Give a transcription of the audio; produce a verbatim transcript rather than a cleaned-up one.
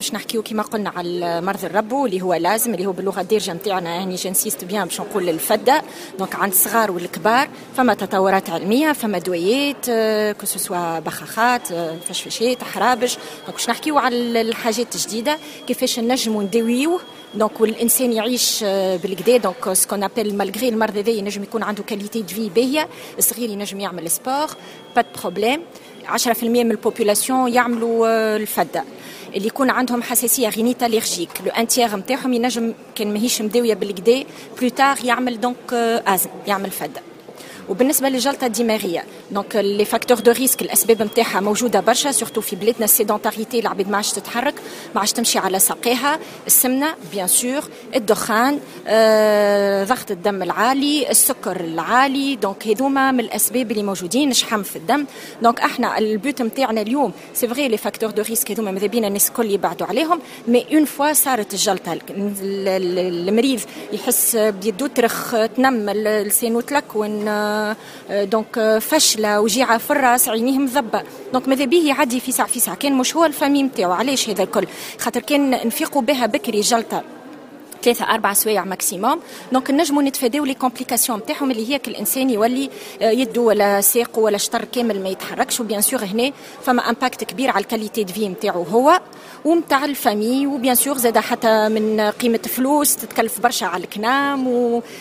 باش نحكيو كما قلنا على مرض الربو اللي هو l'asthme، اللي هو باللغة الدارجة نتاعنا، يعني j'insiste bien باش نقول الفده. donc عند الصغار والكبار فما تطورات علميه، فما دويات، que ce soit بخاخات، فشفشات، حرابش. donc باش نحكيو على الحاجات الجديده، كيفاش نجموا نداويوه donc والانسان يعيش بالقدا، donc ce qu'on appelle malgré المرض هذا ينجم يكون عنده qualité de vie باهيه. الصغير ينجم يعمل sport، pas de problème. عشرة في المية من ال population يعملوا الفده. اللي يكون عندهم حساسيه، rhinite allergique، le un tiers نتاعهم ينجم كان ماهيش مداويه بالقدا plus tard يعمل donc asthme، يعمل فده. وبالنسبة للجلطه الدماغيه، donc les facteurs de risque، الاسباب نتاعها موجودة برشا، surtout في بلادنا ال sédentarité، العباد ما عادش تتحرك، ما عادش تمشي على ساقيها، السمنة bien sûr، الدخان، آه، ضغط الدم العالي، السكر العالي. donc هذوما من الاسباب اللي موجودين، شحم في الدم. donc احنا ال but نتاعنا اليوم، c'est vrai les facteurs de risque هذوما ماذا بينا الناس الكل يبعدوا عليهم، mais une fois صارت الجلطه، المريض يحس بيدو ترخ، تنمل، لسانو تلكون، donc فشله، وجيعه في الراس، عينيه مضبه، donc ماذا بيه يعدي في ساعة في ساعه، كان مش هو ال famille نتاعو. علاش هذا الكل؟ خاطر كان نفيقوا بها بكري جلطه، ثلاثة أربع سوايع maximum، donc نجموا نتفاداو les complications نتاعهم، اللي هي كل الإنسان يولي آه، يدو ولا ساقه ولا شطر كامل ما يتحركش. و bien sûr هنا فما impact كبير على ال qualité de vie نتاعو هو ومتاع ال famille، و bien sûr زاد حتى من قيمة فلوس، تتكلف برشا على الكنام و